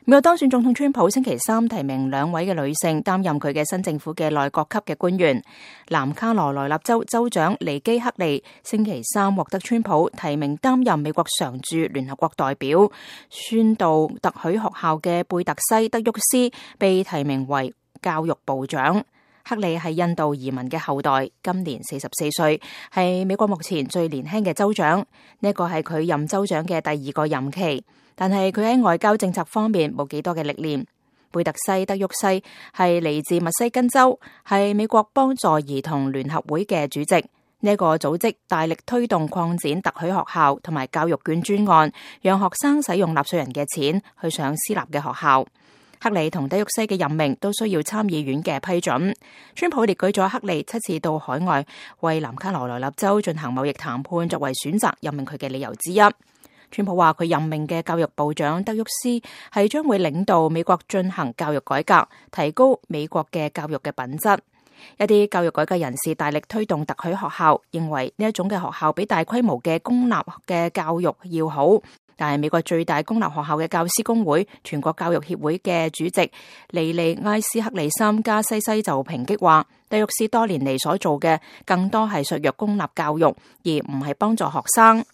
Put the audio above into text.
美國當選總統川普星期三提名2位嘅女性擔任佢嘅新政府嘅內閣級嘅官員。南卡羅來納州州長尼基克利星期三獲得川普提名擔任美國常駐聯合國代表。宣導特許學校嘅貝特西德沃斯被提名為教育部長。克利係印度移民嘅後代，今年44歲，係美國目前最年輕嘅州長。呢個係佢任州長嘅第2個任期。但係佢喺外交政策方面冇幾多嘅歷練。貝特西德沃西係嚟自密西根州，係美國幫助兒童聯合會嘅主席。呢個組織大力推動擴展特許學校同埋教育券專案，讓學生使用納稅人嘅錢去上私立嘅學校。克利同德沃西嘅任命都需要參議院嘅批准。川普列舉咗克利7次到海外為南卡羅來納州進行貿易談判作為選擇任命佢嘅理由之一。川普話佢任命嘅教育部長德沃斯係將會領導美國進行教育改革，提高美國嘅教育嘅品質。一啲教育改革人士大力推動特許學校，認為呢一種嘅學校比大規模嘅公立嘅教育要好。但係美國最大公立學校嘅教師工會全國教育協會嘅主席尼利埃斯克里森加西西就抨擊話，德沃斯多年嚟所做嘅更多係削弱公立教育，而唔係幫助學生。